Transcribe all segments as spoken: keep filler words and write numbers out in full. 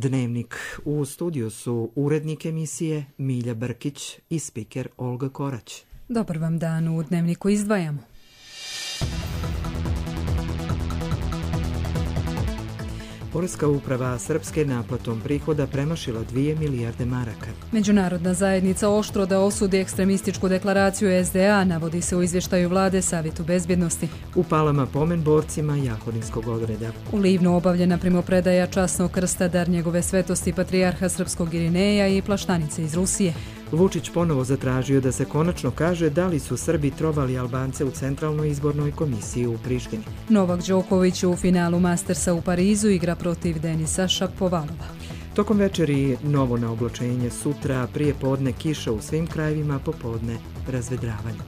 Dnevnik. U studiju su urednik emisije Milja Brkić i spiker Olga Korać. Dobar vam dan, u Dnevniku izdvajamo. Poreska uprava Srpske naplatom prihoda premašila dvije milijarde maraka. Međunarodna zajednica oštro da osudi ekstremističku deklaraciju S D A, navodi se u izvještaju vlade Savjetu bezbjednosti. U Palama pomen borcima Jahorinskog odreda. U Livnu obavljena primopredaja časnog krsta dar njegove svetosti patrijarha srpskog Irineja i plaštanice iz Rusije. Vučić ponovo zatražio da se konačno kaže da li su Srbi trovali Albance u Centralnoj izbornoj komisiji u Prištini. Novak Đoković u finalu Mastersa u Parizu igra protiv Denisa Šapovalova. Tokom večeri novo na oblačenje, sutra prije podne kiša u svim krajevima, popodne razvedravanje.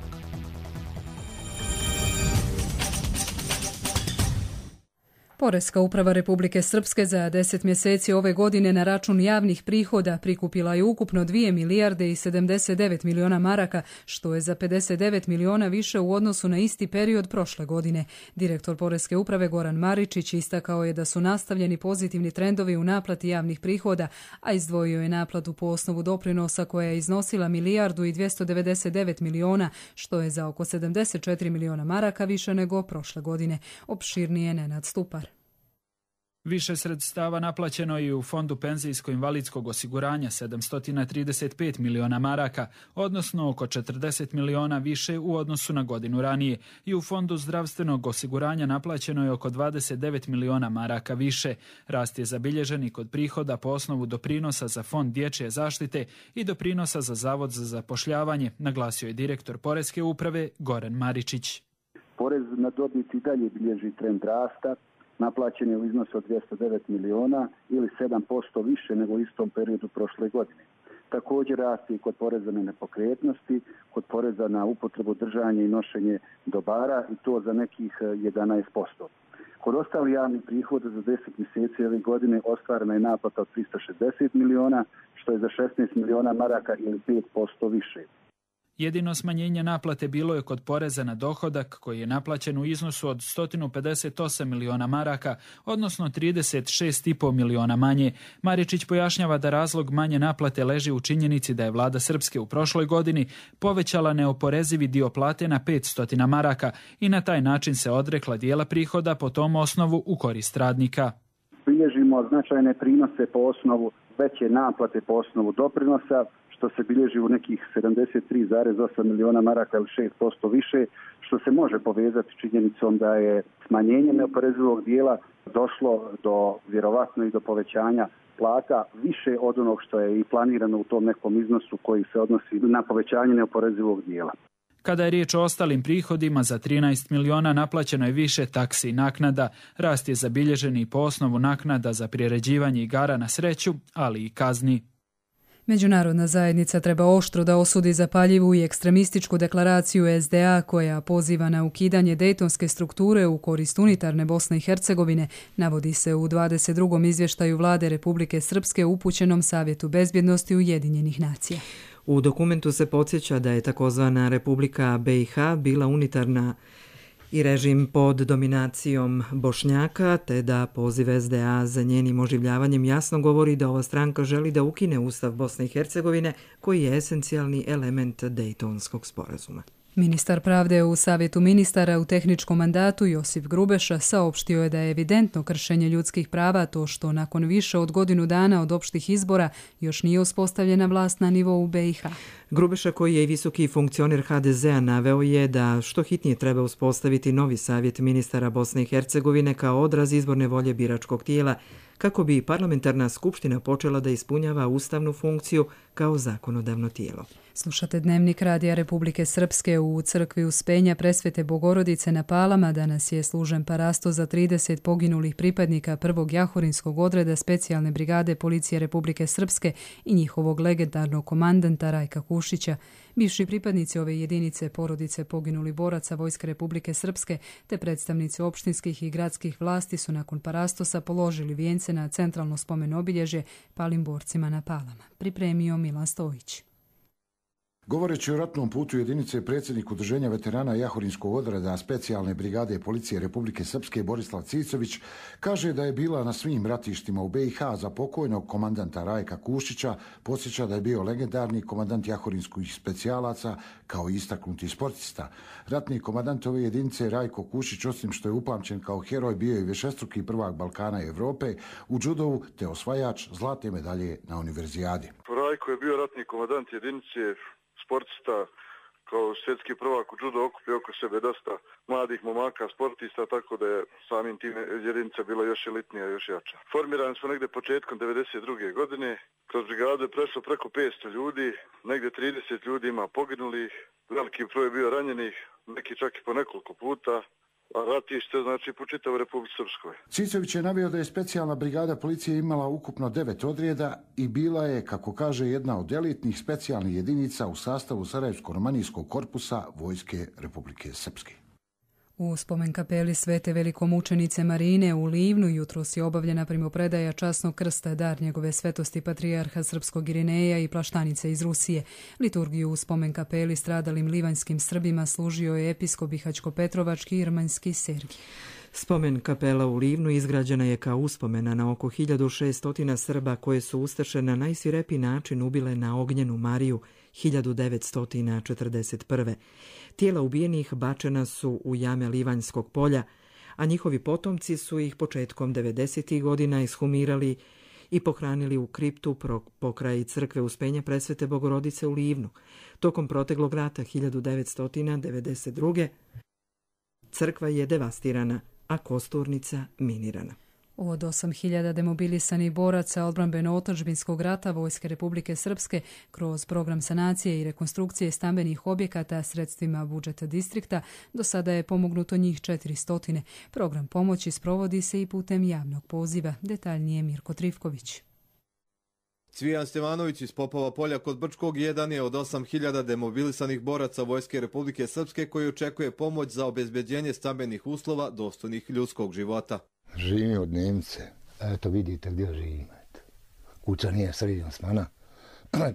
Poreska uprava Republike Srpske za deset mjeseci ove godine na račun javnih prihoda prikupila je ukupno dvije milijarde i sedamdeset devet miliona maraka, što je za pedeset devet miliona više u odnosu na isti period prošle godine. Direktor Poreske uprave Goran Maričić istakao je da su nastavljeni pozitivni trendovi u naplati javnih prihoda, a izdvojio je naplatu po osnovu doprinosa koja je iznosila milijardu i dvjesto devedeset devet miliona, što je za oko sedamdeset četiri miliona maraka više nego prošle godine. Opširnije Nenad Stupar. Više sredstava naplaćeno i u Fondu penzijsko-invalidskog osiguranja sedamsto trideset pet miliona maraka, odnosno oko četrdeset miliona više u odnosu na godinu ranije. I u Fondu zdravstvenog osiguranja naplaćeno je oko dvadeset devet miliona maraka više. Rast je zabilježen i kod prihoda po osnovu doprinosa za Fond dječje zaštite i doprinosa za Zavod za zapošljavanje, naglasio je direktor Poreske uprave Goran Maričić. Porez na dobit i dalje bilježi trend rasta. Naplaćen je u iznosu od dvjesto devet miliona ili sedam posto više nego u istom periodu prošle godine. Također rasti i kod poreza na nepokretnosti, kod poreza na upotrebu, držanje i nošenje dobara i to za nekih jedanaest posto. Kod ostalih javnih prihoda za deset mjeseci ove godine ostvarena je naplata od tristo šezdeset miliona, što je za šesnaest miliona maraka ili pet posto više. Jedino smanjenje naplate bilo je kod poreza na dohodak, koji je naplaćen u iznosu od sto pedeset osam miliona maraka, odnosno trideset šest i pol miliona manje. Maričić pojašnjava da razlog manje naplate leži u činjenici da je vlada Srpske u prošloj godini povećala neoporezivi dio plate na petsto maraka i na taj način se odrekla dijela prihoda po tom osnovu u korist radnika. Bilježimo značajne prinose po osnovu veće naplate po osnovu doprinosa, što se bilježi u nekih sedamdeset tri zarez osam miliona maraka ili šest posto više, što se može povezati s činjenicom da je smanjenje neoporezivog dijela došlo do, vjerovatno i do povećanja plata više od onog što je i planirano u tom nekom iznosu koji se odnosi na povećanje neoporezivog dijela. Kada je riječ o ostalim prihodima, za trinaest miliona naplaćeno je više taksi i naknada. Rast je zabilježen i po osnovu naknada za priređivanje igara na sreću, ali i kazni. Međunarodna zajednica treba oštro da osudi zapaljivu i ekstremističku deklaraciju S D A koja poziva na ukidanje dejtonske strukture u korist unitarne Bosne i Hercegovine, navodi se u dvadeset drugom izvještaju vlade Republike Srpske upućenom Savjetu bezbjednosti Ujedinjenih nacija. U dokumentu se podsjeća da je takozvana Republika B i H bila unitarna i režim pod dominacijom Bošnjaka, te da poziv S D A za njenim oživljavanjem jasno govori da ova stranka želi da ukine Ustav Bosne i Hercegovine, koji je esencijalni element Dejtonskog sporazuma. Ministar pravde u Savjetu ministara u tehničkom mandatu Josip Grubeša saopštio je da je evidentno kršenje ljudskih prava to što nakon više od godinu dana od opštih izbora još nije uspostavljena vlast na nivou B i H. Grubeša, koji je i visoki funkcioner H D Z a, naveo je da što hitnije treba uspostaviti novi Savjet ministara Bosne i Hercegovine kao odraz izborne volje biračkog tijela, kako bi parlamentarna skupština počela da ispunjava ustavnu funkciju kao zakonodavno tijelo. Slušate Dnevnik Radija Republike Srpske. U crkvi Uspenja Presvete Bogorodice na Palama danas je služen parasto za trideset poginulih pripadnika prvog Jahorinskog odreda specijalne brigade Policije Republike Srpske i njihovog legendarnog komandanta Rajka Kušića. Bivši pripadnici ove jedinice, porodice poginulih boraca Vojske Republike Srpske te predstavnici opštinskih i gradskih vlasti su nakon parastosa položili vijence na centralno spomen obilježje palim borcima na Palama. Pripremio Milan Stojić. Govoreći o ratnom putu jedinice, predsjednik Udruženja veterana Jahorinskog odreda specijalne brigade policije Republike Srpske Borislav Cicović kaže da je bila na svim ratištima u B i H za pokojnog komandanta Rajka Kušića, podsjeća da je bio legendarni komandant jahorinskih specijalaca kao istaknuti sportista. Ratni komandant ove jedinice Rajko Kušić, osim što je upamćen kao heroj, bio je višestruki prvak Balkana i Evrope u džudovu te osvajač zlatne medalje na univerzijadi. Rajko je bio ratni komandant jedinice, sportista, kao svjetski prvak u judo okupio oko sebe dosta mladih momaka, sportista, tako da je samim tim jedinica bila još elitnija, još jača. Formirani smo negdje početkom devedeset druge godine, kroz brigadu je prešlo preko petsto ljudi, negdje trideset ljudi ima poginulih, veliki broj je bio ranjenih, neki čak i po nekoliko puta. A ratište znači po čitavoj Republici Srpskoj. Cicović je naveo da je specijalna brigada policije imala ukupno devet odreda i bila je, kako kaže, jedna od elitnih specijalnih jedinica u sastavu Sarajevsko-romanijskog korpusa Vojske Republike Srpske. U spomen kapeli Svete velikomučenice Marine u Livnu jutros je obavljena primopredaja časnog krsta, dar njegove svetosti patrijarha srpskog Irineja i Plaštanice iz Rusije. Liturgiju u spomen kapeli stradalim livanjskim Srbima služio je episkop Bihaćko-Petrovački i Irmanjski Sergij. Spomen kapela u Livnu izgrađena je kao uspomena na oko hiljadu šesto Srba koje su ustaše na najsvirepiji način ubile na Ognjenu Mariju hiljadu devetsto četrdeset prve. Tijela ubijenih bačena su u jame Livanjskog polja, a njihovi potomci su ih početkom devedesetih godina ishumirali i pohranili u kriptu pokraj crkve Uspenja Presvete Bogorodice u Livnu. Tokom proteklog rata hiljadu devetsto devedeset druge. crkva je devastirana, a kosturnica minirana. Od osam hiljada demobilisanih boraca odbrambeno-otadžbinskog rata Vojske Republike Srpske kroz program sanacije i rekonstrukcije stambenih objekata sredstvima budžeta distrikta do sada je pomognuto njih četiristo. Program pomoći sprovodi se i putem javnog poziva. Detaljnije Mirko Trifković. Cvijan Stevanović iz Popova polja kod Brčkog jedan je od osam hiljada demobilisanih boraca Vojske Republike Srpske koji očekuje pomoć za obezbeđenje stambenih uslova dostojnih ljudskog života. Živim od Nemce. Eto vidite gdje živim. Kuća nije sređena smana.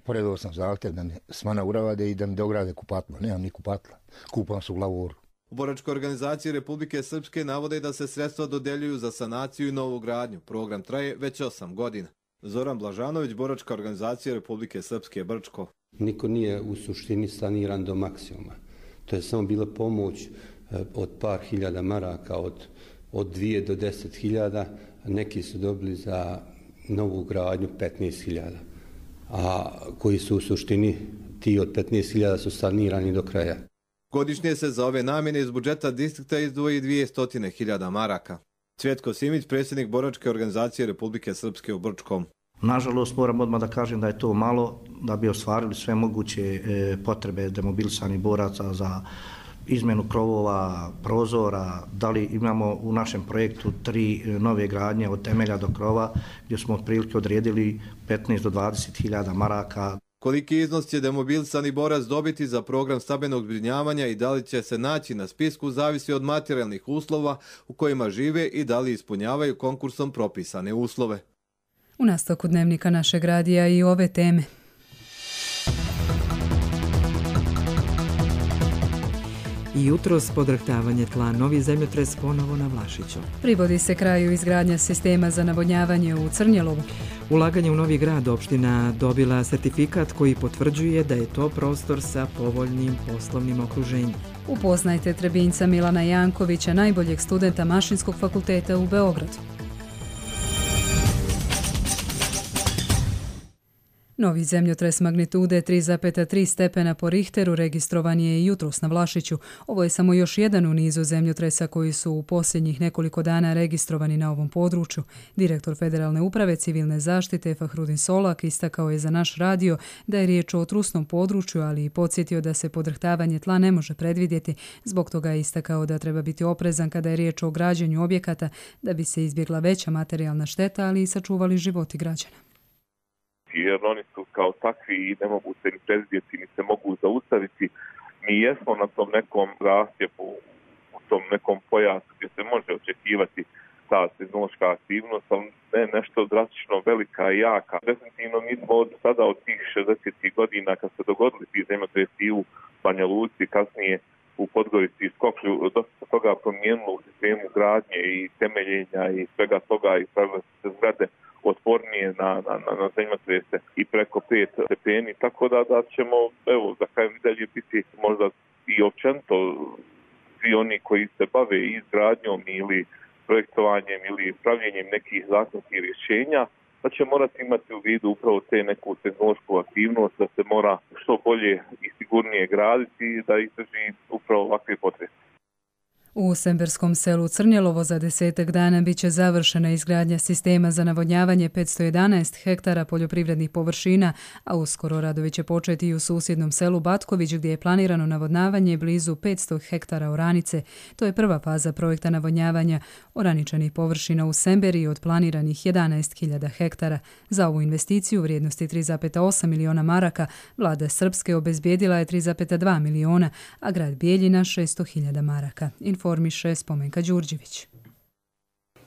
Poredao sam zahtjev da mi smana uravade i da mi dograde kupatlo. Nemam ni kupatla. Kupam se u lavoru. U boračkoj organizaciji Republike Srpske navode da se sredstva dodeljuju za sanaciju i novu gradnju. Program traje već osam godina. Zoran Blažanović, boračka organizacija Republike Srpske Brčko. Niko nije u suštini saniran do maksimuma. To je samo bila pomoć od par hiljada maraka, od, od dvije do deset hiljada. Neki su dobili za novu gradnju petnaest hiljada. A koji su u suštini, ti od petnaest hiljada su sanirani do kraja. Godišnje se za ove namjene iz budžeta distrikta izdvoji dvjesto hiljada maraka. Cvjetko Simić, predsjednik boračke organizacije Republike Srpske u Brčkom. Nažalost, moram odmah da kažem da je to malo da bi ostvarili sve moguće e, potrebe demobilisanih boraca za izmjenu krovova, prozora. Da li imamo u našem projektu tri nove gradnje od temelja do krova gdje smo otprilike odredili petnaest do dvadeset hiljada maraka. Koliki iznos će demobilisani borac dobiti za program stambenog zbrinjavanja i da li će se naći na spisku zavisi od materijalnih uslova u kojima žive i da li ispunjavaju konkursom propisane uslove. U nastavku dnevnika našeg radija i ove teme. I jutros podrhtavanje tla, novi zemljotres ponovo na Vlašiću. Privodi se kraju izgradnja sistema za navodnjavanje u Crnjelovu. Ulaganje u Novi Grad, opština dobila sertifikat koji potvrđuje da je to prostor sa povoljnim poslovnim okruženjem. Upoznajte Trebinjca Milana Jankovića, najboljeg studenta Mašinskog fakulteta u Beogradu. Novi zemljotres magnitude tri zarez tri stepena po Richteru registrovan je i jutros na Vlašiću. Ovo je samo još jedan u nizu zemljotresa koji su u posljednjih nekoliko dana registrovani na ovom području. Direktor Federalne uprave civilne zaštite Fahrudin Solak istakao je za naš radio da je riječ o trusnom području, ali i podsjetio da se podrhtavanje tla ne može predvidjeti. Zbog toga je istakao da treba biti oprezan kada je riječ o građenju objekata da bi se izbjegla veća materijalna šteta, ali i sačuvali životi građana. Jer oni su kao takvi i ne mogu se ni predvidjeti, ni se mogu zaustaviti. Mi jesmo na tom nekom rasjepu, u tom nekom pojasu gdje se može očekivati ta tehnološka aktivnost, ali ne nešto drastično velika i jaka. Definitivno mi smo od sada od tih šezdesetih godina kad se dogodili ti zemljotresi u Banja Luci, kasnije u Podgorici i Skoplju, dosta se toga promijenilo u sistemu gradnje i temeljenja i svega toga i pravile se zgrade otpornije na, na, na, na zemljotrese i preko pet stepeni, tako da, da ćemo, evo, za kraj dalje biti možda i općenito svi oni koji se bave izgradnjom ili projektovanjem ili pravljenjem nekih zakonskih rješenja, da će morati imati u vidu upravo te neku tehnološku aktivnost, da se mora što bolje i sigurnije graditi i da izdrži upravo ovakve potrese. U semberskom selu Crnjelovo za desetak dana bit će završena izgradnja sistema za navodnjavanje petsto jedanaest hektara poljoprivrednih površina, a uskoro radovi će početi i u susjednom selu Batković gdje je planirano navodnavanje blizu petsto hektara oranice. To je prva faza projekta navodnjavanja oraničanih površina u Semberi od planiranih jedanaest hiljada hektara. Za ovu investiciju u vrijednosti tri zarez osam miliona maraka vlada Srpske obezbijedila je tri zarez dva miliona, a grad Bijeljina šesto hiljada maraka. Informiše Spomenka Đurđević.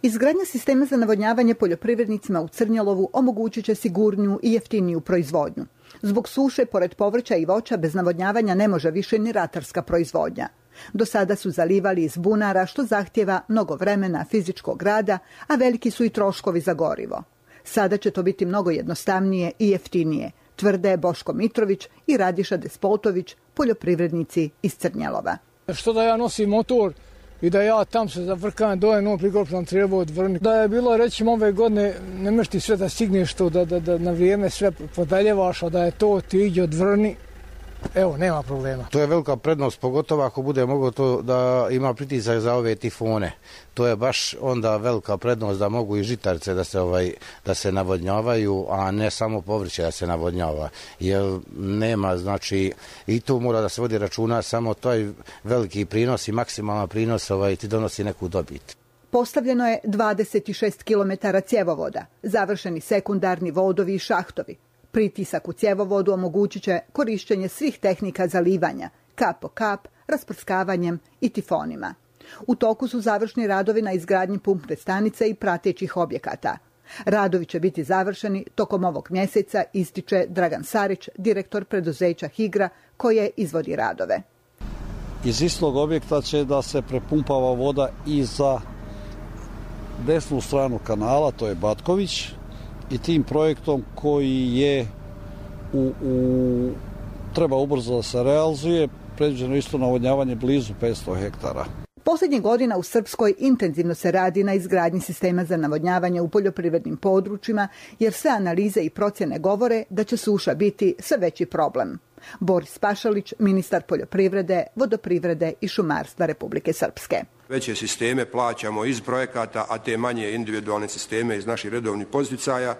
Izgradnja sistema za navodnjavanje poljoprivrednicima u Crnjelovu omogućit će sigurniju i jeftiniju proizvodnju. Zbog suše, pored povrća i voća, bez navodnjavanja ne može više ni ratarska proizvodnja. Do sada su zalivali iz bunara, što zahtjeva mnogo vremena, fizičkog rada, a veliki su i troškovi za gorivo. Sada će to biti mnogo jednostavnije i jeftinije, tvrde Boško Mitrović i Radiša Despotović, poljoprivrednici iz Crnjelova. Što da ja nosim motor i da ja tam se zavrkam dole, no prikopljam treba odvrniti. Da je bilo, rećemo, ove godine ne možeš ti sve da stigneš to, da, da, da na vrijeme sve podaljevaš, a da je to ti iđe odvrni, evo, nema problema. To je velika prednost, pogotovo ako bude moglo to da ima pritisak za ove tifone. To je baš onda velika prednost da mogu i žitarice da se ovaj da se navodnjavaju, a ne samo povrće da se navodnjava. Jer nema, znači, i tu mora da se vodi računa, samo taj veliki prinos i maksimalan prinos ovaj ti donosi neku dobit. Postavljeno je dvadeset šest kilometara cjevovoda, završeni sekundarni vodovi i šahtovi. Pritisak u cjevovodu omogućit će korištenje svih tehnika zalivanja, kap po kap, rasprskavanjem i tifonima. U toku su završni radovi na izgradnji pumpne stanice i pratećih objekata. Radovi će biti završeni tokom ovog mjeseca, ističe Dragan Sarić, direktor preduzeća Higra, koje izvodi radove. Iz istog objekta će da se prepumpava voda i za desnu stranu kanala, to je Batković, i tim projektom koji je u, u, treba ubrzo da se realizuje, predviđeno isto navodnjavanje blizu petsto hektara. Posljednjih godina u Srpskoj intenzivno se radi na izgradnji sistema za navodnjavanje u poljoprivrednim područjima, jer sve analize i procjene govore da će suša biti sve veći problem. Boris Pašalić, ministar poljoprivrede, vodoprivrede i šumarstva Republike Srpske. Veće sisteme plaćamo iz projekata, a te manje individualne sisteme iz naših redovnih podsticaja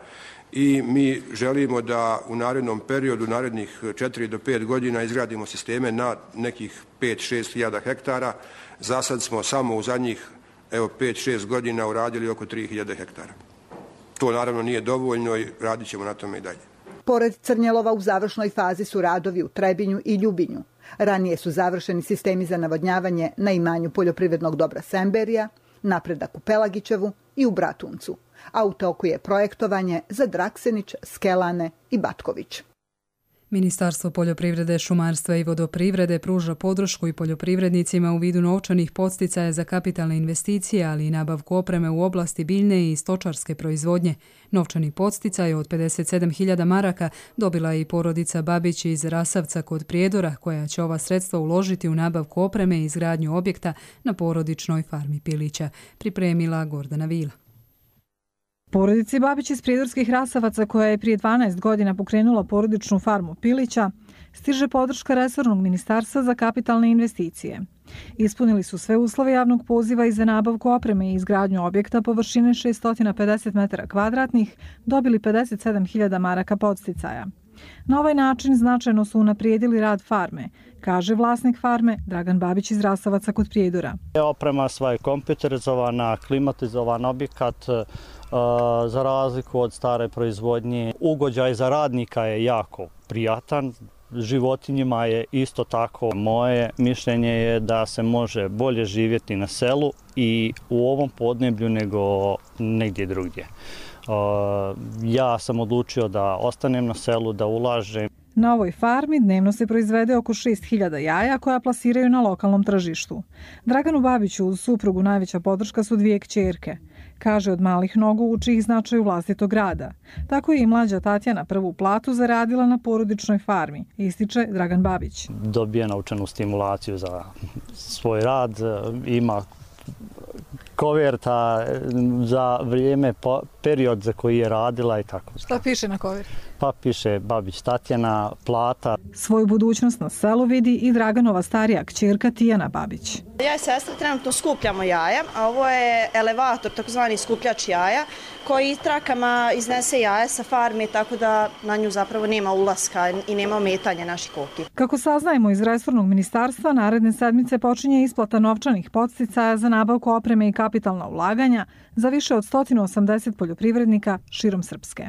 i mi želimo da u narednom periodu, narednih četiri do pet godina izgradimo sisteme na nekih pet do šest hiljada hektara. Za sad smo samo u zadnjih evo pet do šest godina uradili oko tri hiljade hektara. To naravno nije dovoljno i radit ćemo na tome i dalje. Pored Crnjelova u završnoj fazi su radovi u Trebinju i Ljubinju. Ranije su završeni sistemi za navodnjavanje na imanju poljoprivrednog dobra Semberija, napredak u Pelagićevu i u Bratuncu, a u toku je projektovanje za Draksenić, Skelane i Batković. Ministarstvo poljoprivrede, šumarstva i vodoprivrede pruža podršku i poljoprivrednicima u vidu novčanih podsticaja za kapitalne investicije, ali i nabavku opreme u oblasti biljne i stočarske proizvodnje. Novčani podsticaj od pedeset sedam hiljada maraka dobila je i porodica Babić iz Rasavca kod Prijedora, koja će ova sredstva uložiti u nabavku opreme i izgradnju objekta na porodičnoj farmi Pilića, pripremila Gordana Vila. Porodici Babić iz Prijedorskih Rasavaca, koja je prije dvanaest godina pokrenula porodičnu farmu Pilića, stiže podrška resornog ministarstva za kapitalne investicije. Ispunili su sve uslove javnog poziva i za nabavku opreme i izgradnju objekta površine šesto pedeset metara kvadratnih, dobili pedeset sedam hiljada maraka podsticaja. Na ovaj način značajno su unaprijedili rad farme, kaže vlasnik farme Dragan Babić iz Rasavaca kod Prijedora. Oprema sva je kompjuterizovana, klimatizovan objekat, za razliku od stare proizvodnje. Ugođaj za radnika je jako prijatan, životinjima je isto tako. Moje mišljenje je da se može bolje živjeti na selu i u ovom podneblju nego negdje drugdje. Ja sam odlučio da ostanem na selu, da ulažem. Na ovoj farmi dnevno se proizvede oko šest hiljada jaja koja plasiraju na lokalnom tržištu. Draganu Babiću uz suprugu najveća podrška su dvije kćerke. Kaže, od malih nogu uči ih značaju vlastitog rada. Tako je i mlađa Tatjana prvu platu zaradila na porodičnoj farmi, ističe Dragan Babić. Dobije naučenu stimulaciju za svoj rad, ima koverta za vrijeme, period za koji je radila i tako. Šta piše na koverti? Pa piše Babić Tatjana, plata. Svoju budućnost na selu vidi i Draganova starija kćerka Tijana Babić. Ja i sestra trenutno skupljamo jaja, a ovo je elevator, takozvani skupljač jaja, koji trakama iznese jaja sa farme, tako da na nju zapravo nema ulaska i nema ometanja naših koki. Kako saznajemo iz resornog ministarstva, naredne sedmice počinje isplata novčanih podsticaja za nabavku opreme i kapitalna ulaganja za više od sto osamdeset poljoprivrednika širom Srpske.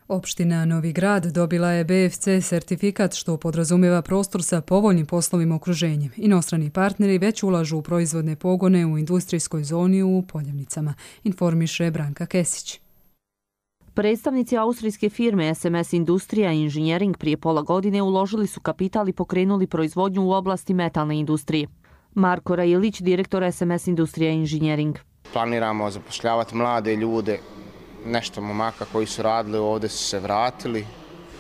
Opština Novi Grad dobila je B F C sertifikat što podrazumijeva prostor sa povoljnim poslovnim okruženjem. Inostrani partneri već ulažu u proizvodne pogone u industrijskoj zoni u Poljevnicama, informiše Branka Kesić. Predstavnici austrijske firme S M S Industrija i Inženjering prije pola godine uložili su kapital i pokrenuli proizvodnju u oblasti metalne industrije. Marko Rajilić, direktor S M S Industrija i Inženjering. Planiramo zapošljavati mlade ljude, nešto momaka koji su radili ovdje su se vratili,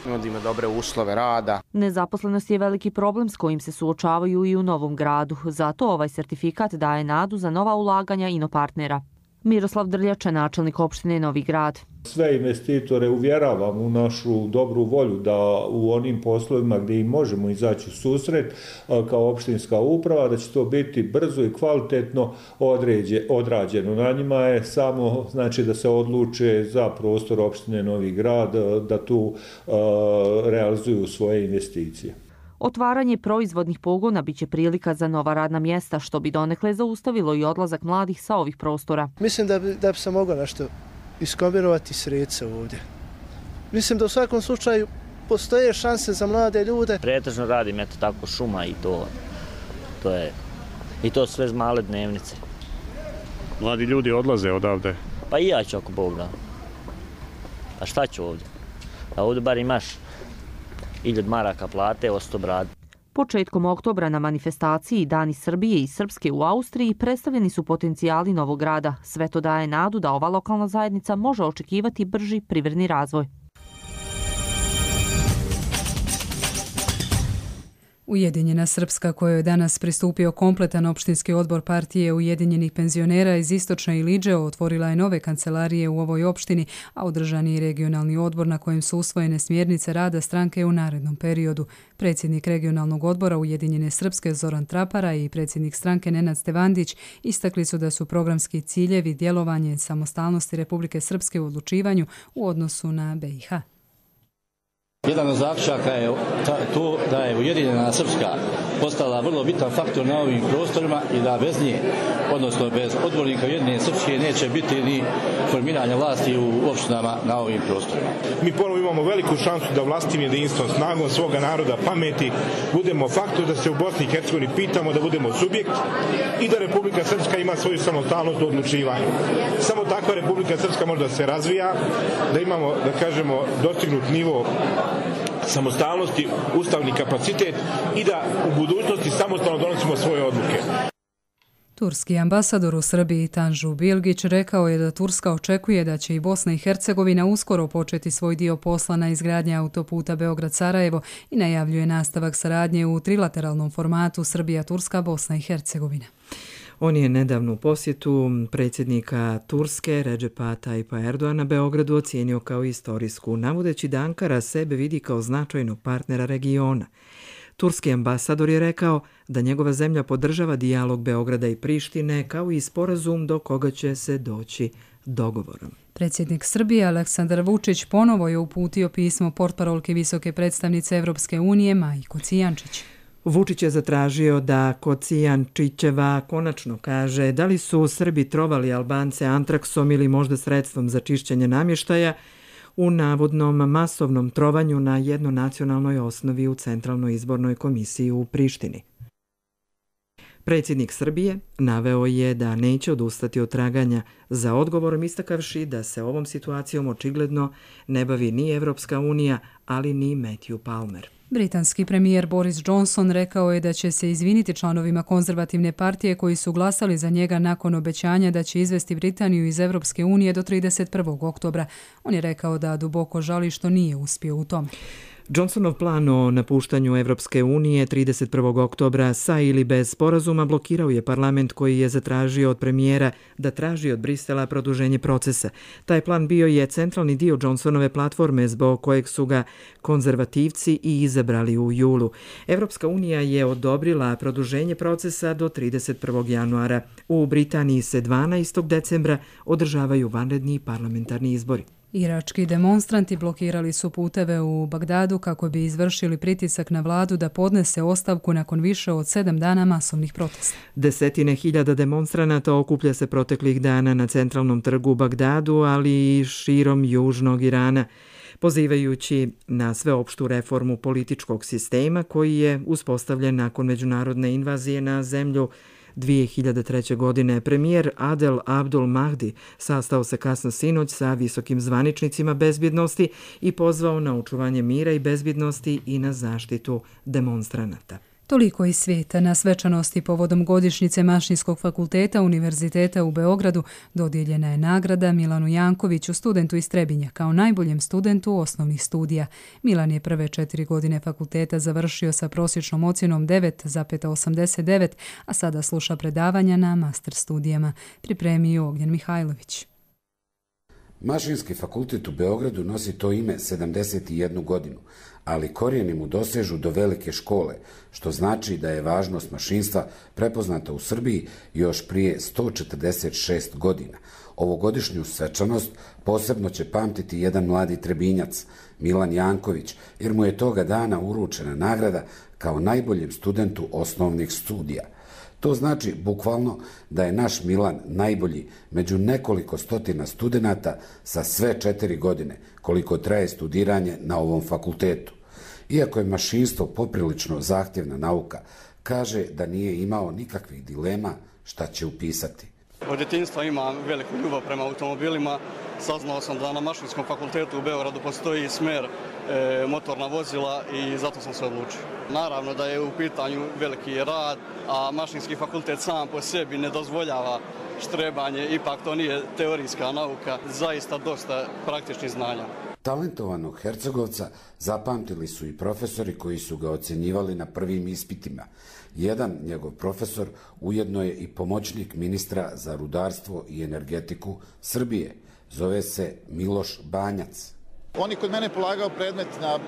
nudimo dobre uslove rada. Nezaposlenost je veliki problem s kojim se suočavaju i u Novom Gradu, zato ovaj sertifikat daje nadu za nova ulaganja inopartnera. Miroslav Drljača, načelnik opštine Novi Grad. Sve investitore uvjeravam u našu dobru volju da u onim poslovima gdje im možemo izaći u susret kao opštinska uprava, da će to biti brzo i kvalitetno određe, odrađeno. Na njima je samo znači, da se odluče za prostor opštine Novi Grad, da tu uh, realizuju svoje investicije. Otvaranje proizvodnih pogona biće prilika za nova radna mjesta, što bi donekle zaustavilo i odlazak mladih sa ovih prostora. Mislim da bi, da bi se moglo nešto iskombinirati sredstva ovdje. Mislim da u svakom slučaju postoje šanse za mlade ljude. Pretežno radim eto tako šuma i to, to je i to sve male dnevnice. Mladi ljudi odlaze odavde. Pa i ja ću ako Bog da. A šta ću ovdje? A ovdje bar imaš hiljadu maraka plate, osto brad. Početkom oktobra na manifestaciji Dani Srbije i Srpske u Austriji predstavljeni su potencijali Novog Grada. Sve to daje nadu da ova lokalna zajednica može očekivati brži privredni razvoj. Ujedinjena Srpska, kojoj je danas pristupio kompletan opštinski odbor partije Ujedinjenih penzionera iz Istočne Iliđe, otvorila je nove kancelarije u ovoj opštini, a održan je regionalni odbor na kojem su usvojene smjernice rada stranke u narednom periodu. Predsjednik regionalnog odbora Ujedinjene Srpske Zoran Trapara i predsjednik stranke Nenad Stevandić istakli su da su programski ciljevi djelovanje samostalnosti Republike Srpske u odlučivanju u odnosu na B i H. Jedan od zaključaka je to da je Ujedinjena Srpska postala vrlo bitan faktor na ovim prostorima i da bez nje, odnosno bez odbornika Ujedinjene Srpske, neće biti ni formiranja vlasti u opštinama na ovim prostorima. Mi ponovo imamo veliku šansu da vlastim jedinstvom, snagom svoga naroda, pameti, budemo faktor da se u Bosni i Hercegovini pitamo, da budemo subjekt i da Republika Srpska ima svoju samostalnost u odlučivanju. Samo takva Republika Srpska može da se razvija, da imamo, da kažemo, dostignut nivo samostalnosti, ustavni kapacitet i da u budućnosti samostalno donosimo svoje odluke. Turski ambasador u Srbiji Tanžu Bilgić rekao je da Turska očekuje da će i Bosna i Hercegovina uskoro početi svoj dio posla na izgradnji autoputa Beograd-Sarajevo i najavljuje nastavak saradnje u trilateralnom formatu Srbija-Turska-Bosna i Hercegovina. On je nedavnu posjetu predsjednika Turske Redžepa Tayyip Erdoana Beogradu ocijenio kao istorijsku, navodeći da Ankara sebe vidi kao značajnog partnera regiona. Turski ambasador je rekao da njegova zemlja podržava dijalog Beograda i Prištine kao i sporazum do koga će se doći dogovorom. Predsjednik Srbije Aleksandar Vučić ponovo je uputio pismo portparolke visoke predstavnice Evropske unije Maji Kocijančić. Vučić je zatražio da Kocijančićeva konačno kaže da li su Srbi trovali Albance antraksom ili možda sredstvom za čišćenje namještaja u navodnom masovnom trovanju na jednonacionalnoj osnovi u Centralnoj izbornoj komisiji u Prištini. Predsjednik Srbije naveo je da neće odustati od traganja za odgovorom, istakavši da se ovom situacijom očigledno ne bavi ni Evropska unija, ali ni Matthew Palmer. Britanski premijer Boris Johnson rekao je da će se izviniti članovima konzervativne partije koji su glasali za njega nakon obećanja da će izvesti Britaniju iz Evropske unije do trideset prvog oktobra. On je rekao da duboko žali što nije uspio u tome. Johnsonov plan o napuštanju Evropske unije trideset prvog oktobra sa ili bez sporazuma blokirao je parlament koji je zatražio od premijera da traži od Brisela produženje procesa. Taj plan bio je centralni dio Johnsonove platforme zbog kojeg su ga konzervativci i izabrali u julu. Evropska unija je odobrila produženje procesa do trideset prvog januara. U Britaniji se dvanaestog decembra održavaju vanredni parlamentarni izbori. Irački demonstranti blokirali su puteve u Bagdadu kako bi izvršili pritisak na vladu da podnese ostavku nakon više od sedam dana masovnih protesta. Desetine hiljada demonstranata okuplja se proteklih dana na centralnom trgu u Bagdadu, ali i širom južnog Irana, pozivajući na sveopštu reformu političkog sistema koji je uspostavljen nakon međunarodne invazije na zemlju dvije hiljade treće. godine. Premijer Adel Abdul Mahdi sastao se kasno sinoć sa visokim zvaničnicima bezbjednosti i pozvao na očuvanje mira i bezbjednosti i na zaštitu demonstranata. Toliko iz svijeta. Na svečanosti povodom godišnjice Mašinskog fakulteta Univerziteta u Beogradu dodijeljena je nagrada Milanu Jankoviću, studentu iz Trebinja, kao najboljem studentu osnovnih studija. Milan je prve četiri godine fakulteta završio sa prosječnom ocjenom devet zarez osamdeset devet, a sada sluša predavanja na master studijama. Pripremio Ognjen Mihajlović. Mašinski fakultet u Beogradu nosi to ime sedamdeset jednu godinu, ali korijeni mu dosežu do velike škole, što znači da je važnost mašinstva prepoznata u Srbiji još prije sto četrdeset šest godina. Ovogodišnju svečanost posebno će pamtiti jedan mladi Trebinjac, Milan Janković, jer mu je toga dana uručena nagrada kao najboljem studentu osnovnih studija. To znači bukvalno da je naš Milan najbolji među nekoliko stotina studenata sa sve četiri godine, koliko traje studiranje na ovom fakultetu. Iako je mašinstvo poprilično zahtjevna nauka, kaže da nije imao nikakvih dilema šta će upisati. Od djetinjstva imam veliku ljubav prema automobilima. Saznao sam da na Mašinskom fakultetu u Beogradu postoji smer e, motorna vozila i zato sam se odlučio. Naravno da je u pitanju veliki rad, a Mašinski fakultet sam po sebi ne dozvoljava štrebanje, ipak to nije teorijska nauka, zaista dosta praktičnih znanja. Talentovanog Hercegovca zapamtili su i profesori koji su ga ocjenjivali na prvim ispitima. Jedan njegov profesor ujedno je i pomoćnik ministra za rudarstvo i energetiku Srbije. Zove se Miloš Banjac. On je kod mene polagao predmet na e,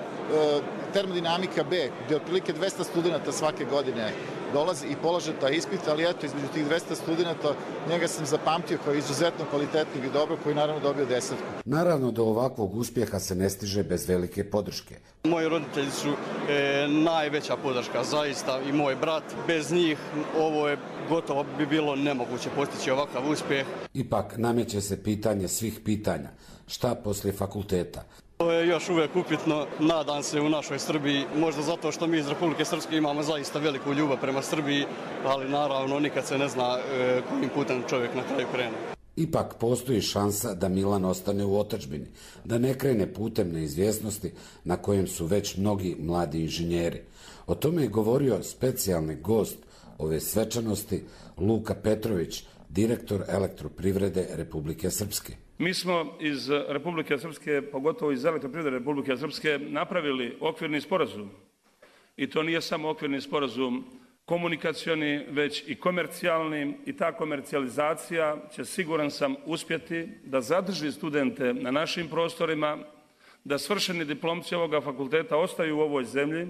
termodinamika B, gdje otprilike dvesta studenta svake godine dolazi i polaže taj ispit, ali eto, između tih dvesta studenta njega sam zapamtio kao izuzetno kvalitetnog i dobro, koji naravno dobio desetku. Naravno, do ovakvog uspjeha se ne stiže bez velike podrške. Moji roditelji su e, najveća podrška, zaista, i moj brat. Bez njih ovo je gotovo bi bilo nemoguće postići ovakav uspjeh. Ipak nameće se pitanje svih pitanja. Šta poslije fakulteta? To je još uvijek upitno, nadam se u našoj Srbiji, možda zato što mi iz Republike Srpske imamo zaista veliku ljubav prema Srbiji, ali naravno nikad se ne zna e, kojim putem čovjek na kraju krene. Ipak postoji šansa da Milan ostane u otadžbini, da ne krene putem neizvjesnosti na kojem su već mnogi mladi inženjeri. O tome je govorio specijalni gost ove svečanosti Luka Petrović, direktor Elektroprivrede Republike Srpske. Mi smo iz Republike Srpske, pogotovo iz Elektroprivrede Republike Srpske, napravili okvirni sporazum. I to nije samo okvirni sporazum komunikacioni, već i komercijalni, i ta komercijalizacija će, siguran sam, uspjeti da zadrži studente na našim prostorima, da svršeni diplomci ovoga fakulteta ostaju u ovoj zemlji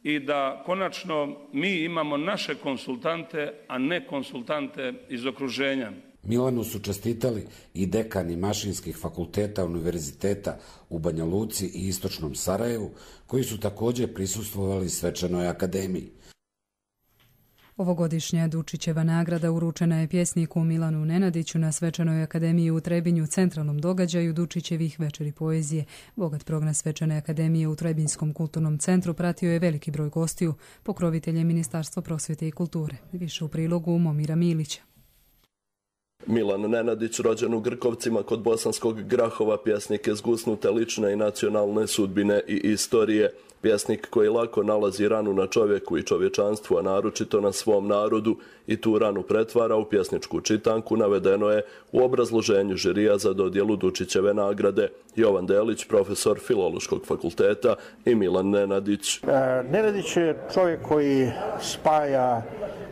i da konačno mi imamo naše konsultante, a ne konsultante iz okruženja. Milanu su čestitali i dekani mašinskih fakulteta univerziteta u Banja Luci i istočnom Sarajevu, koji su također prisustvovali svečanoj akademiji. Ovogodišnja Dučićeva nagrada uručena je pjesniku Milanu Nenadiću na Svečanoj akademiji u Trebinju, centralnom događaju Dučićevih večeri poezije. Bogat program Svečane akademije u Trebinskom kulturnom centru pratio je veliki broj gostiju, pokrovitelj je Ministarstvo prosvjete i kulture. Više u prilogu Momira Milića. Milan Nenadić, rođen u Grkovcima kod Bosanskog Grahova, pjesnik je zgusnute lične i nacionalne sudbine i istorije. Pjesnik koji lako nalazi ranu na čovjeku i čovječanstvu, a naročito na svom narodu, i tu ranu pretvara u pjesničku čitanku, navedeno je u obrazloženju žirija za dodjelu Dučićeve nagrade. Jovan Delić, profesor Filološkog fakulteta, i Milan Nenadić. E, Nenadić je čovjek koji spaja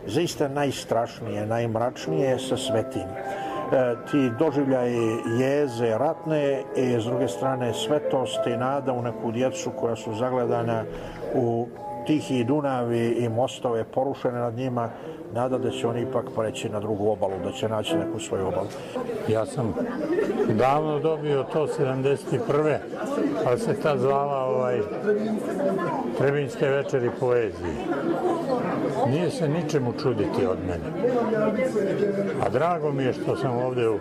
zaista najstrašnije, najmračnije sa svetim. E, ti doživljaji jeze ratne i s druge strane svetost i nada u neku djecu koja su zagledana u tihi Dunavi i mostove porušene nad njima, nada da će oni ipak preći na drugu obalu, da će naći neku svoju obalu. Ja sam davno dobio to sedamdeset prve ali se ta zvala ovaj, Trebinjske večeri poezije. Nije se ničemu čuditi od mene. A drago mi je što sam ovdje u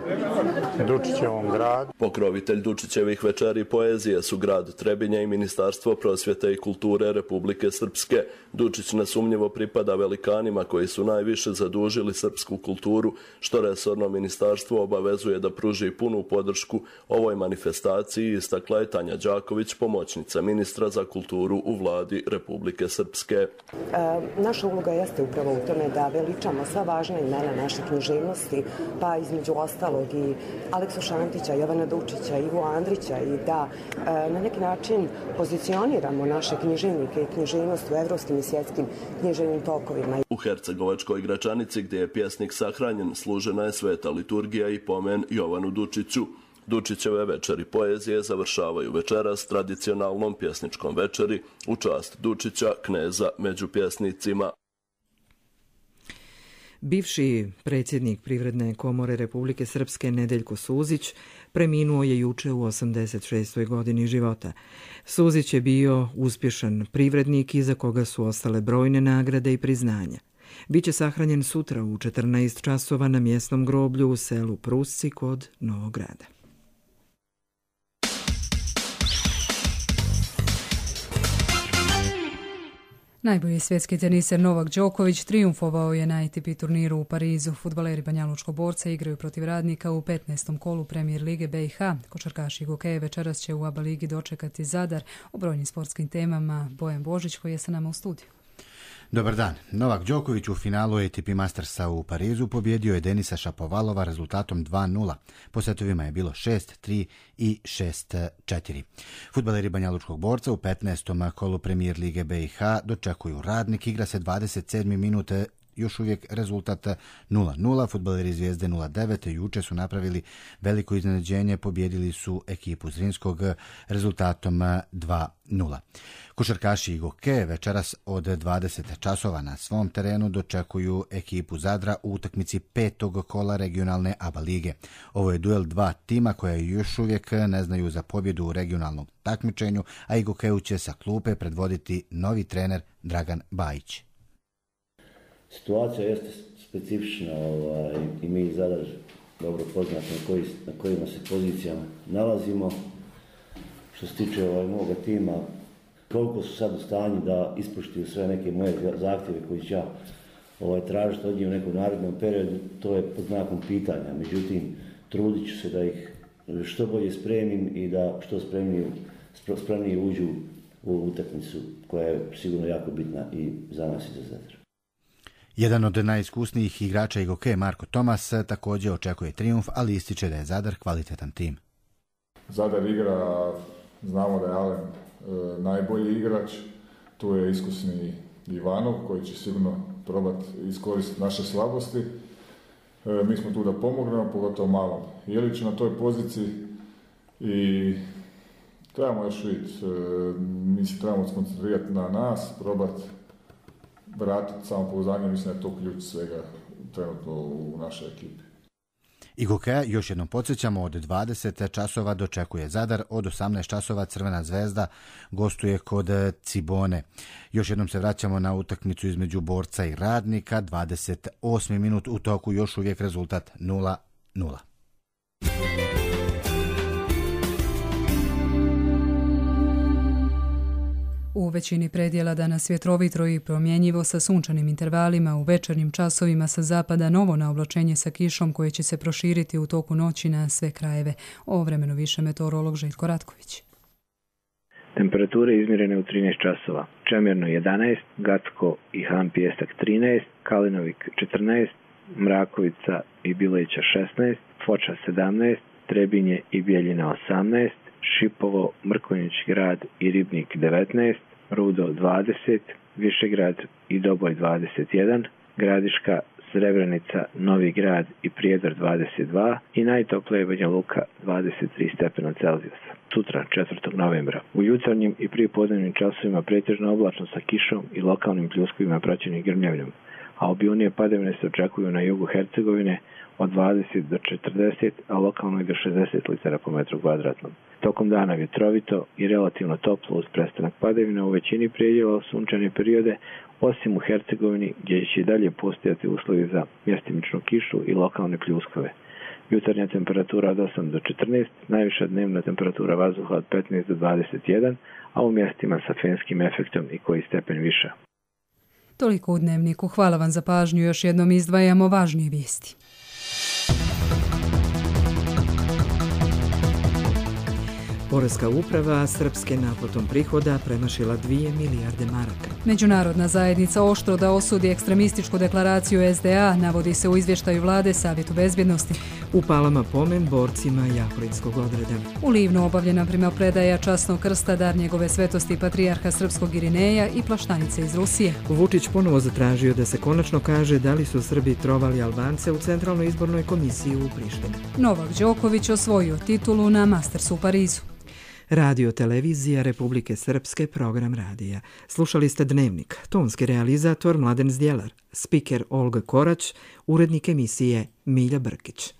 Dučićevom gradu. Pokrovitelj Dučićevih večeri poezije su grad Trebinje i Ministarstvo prosvjete i kulture Republike Srpske. Dučić nesumnjivo pripada velikanima koji su najviše zadužili srpsku kulturu, što resorno ministarstvo obavezuje da pruži punu podršku ovoj manifestaciji, istakla je Tanja Đaković, pomoćnica ministra za kulturu u vladi Republike Srpske. E, naša uloga jeste upravo u tome da veličamo sva važna imena naše književnosti, pa između ostalog i Aleksu Šantića, Jovana Dučića, Ivu Andrića, i da e, na neki način pozicioniramo naše književnike i književnost u evropskim i svjetskim književnim tokovima. U Hercegovačkoj Gračanici, gdje je pjesnik sahranjen, služena je sveta liturgija i pomen Jovanu Dučiću. Dučićeve večeri poezije završavaju večeras tradicionalnom pjesničkom večeri u čast Dučića, kneza među pjesnicima. Bivši predsjednik Privredne komore Republike Srpske Nedeljko Suzić preminuo je juče u osamdeset šestoj godini života. Suzić je bio uspješan privrednik iza koga su ostale brojne nagrade i priznanja. Biće sahranjen sutra u četrnaest časova na mjesnom groblju u selu Prusci kod Novog Grada. Najbolji svjetski teniser Novak Đoković trijumfovao je na A T P turniru u Parizu. Fudbaleri Banjalučkog Borca igraju protiv Radnika u petnaestom kolu Premijer lige B i H. Košarkaši Gokeje večeras će u A B A ligi dočekati Zadar. O brojnim sportskim temama Bojan Božić koji je sa nama u studiju. Dobar dan. Novak Đoković u finalu A T P Mastersa u Parizu pobjedio je Denisa Šapovalova rezultatom dva nula. Po setovima je bilo šest tri i šest četiri. Fudbaleri Banjalučkog Borca u petnaestom kolu Premijer lige B i H dočekuju Radnik. Igra se dvadeset sedme minute, još uvijek rezultat nula nula. Fudbaleri Zvijezde nula devet juče su napravili veliko iznenađenje, pobjedili su ekipu Zrinskog rezultatom dva nula. Košarkaši i Gokeje večeras od dvadeset časova na svom terenu dočekuju ekipu Zadra u utakmici petog kola regionalne A B A lige. Ovo je duel dva tima koje još uvijek ne znaju za pobjedu u regionalnom takmičenju, a i Gokeju će sa klupe predvoditi novi trener Dragan Bajić. Situacija jeste specifična ovaj, i mi Zadar dobro poznati na, koji, na kojima se pozicijama nalazimo. Što se tiče ovaj, moga tima, koliko su sad u stanju da ispoštuju sve neke moje zahtjeve koji ću ja ovaj, tražiti od njih u nekom narednom periodu, to je pod znakom pitanja. Međutim, trudit ću se da ih što bolje spremim i da što spremnije, spremnije uđu u utakmicu koja je sigurno jako bitna i za nas i za Zadar. Jedan od najiskusnijih igrača i Gokeje, Marko Tomas, također očekuje trijumf, ali ističe da je Zadar kvalitetan tim. Zadar igra, znamo da je Alen e, najbolji igrač, tu je iskusni Ivanov koji će sigurno probati iskoristiti naše slabosti. E, mi smo tu da pomognemo, pogotovo malom Jeliću na toj poziciji i trebamo još vidjeti, e, mi se trebamo skoncentrirati na nas, probati vratiti samopouzdanje, mislim da je to ključ svega trenutno u našoj ekipi. I hokeja još jednom podsjećamo, od dvadeset časova dočekuje Zadar, od osamnaest časova Crvena zvezda gostuje kod Cibone. Još jednom se vraćamo na utakmicu između Borca i Radnika, dvadeset osmi minut u toku, još uvijek rezultat nula nula. U većini predjela danas vjetrovitro i promjenjivo sa sunčanim intervalima, u večernjim časovima sa zapada novo naoblačenje sa kišom koje će se proširiti u toku noći na sve krajeve. O vremenu više meteorolog Željko Ratković. Temperature izmjerene u trinaest časova. Čemerno jedanaest, Gacko i Han Pijesak trinaest, Kalinovik četrnaest, Mrakovica i Bileća šesnaest, Foča sedamnaest, Trebinje i Bijeljina osamnaest, Šipovo, Mrkonjić grad i Ribnik devetnaest, Rudo dvadeset, Višegrad i Doboj dvadeset jedan, Gradiška, Srebrenica, Novi grad i Prijedor dvadeset dva i najtoplije Banja Luka dvadeset tri stepena Celzijusa. Sutra, četvrtog novembra. U jutarnjim i prijepodnevnim časovima pretežno oblačno sa kišom i lokalnim pljuskovima praćenim grmljavinom, a obilnije padavine se očekuju na jugu Hercegovine od dvadeset do četrdeset, a lokalno i do šezdeset litara po metru kvadratnom. Tokom dana vjetrovito i relativno toplo uz prestanak padavina u većini predjela sunčane periode, osim u Hercegovini gdje će i dalje postojati uslovi za mjestimičnu kišu i lokalne pljuskove. Jutarnja temperatura od osam do četrnaest, najviša dnevna temperatura vazduha od petnaest do dvadeset jedan, a u mjestima sa fenskim efektom i koji stepen viša. Toliko u Dnevniku. Hvala vam za pažnju. Još jednom izdvajamo važnije vijesti. Poreska uprava srpske naplatom prihoda premašila dvije milijarde maraka. Međunarodna zajednica oštro da osudi ekstremističku deklaraciju S D A, navodi se u izvještaju vlade Savjetu bezbjednosti. U Palama pomen borcima Jahorinskog odreda. U Livnu obavljena primopredaja časnog krsta, dar njegove svetosti patrijarha srpskog Irineja i plaštanice iz Rusije. Vučić ponovo zatražio da se konačno kaže da li su Srbi trovali Albance u Centralnoj izbornoj komisiji u Prištini. Novak Đoković osvojio titulu na Mastersu u Parizu. Radio televizija Republike Srpske, program radija. Slušali ste Dnevnik, tonski realizator Mladen Zdjelar, spiker Olga Korać, urednik emisije Milja Brkić.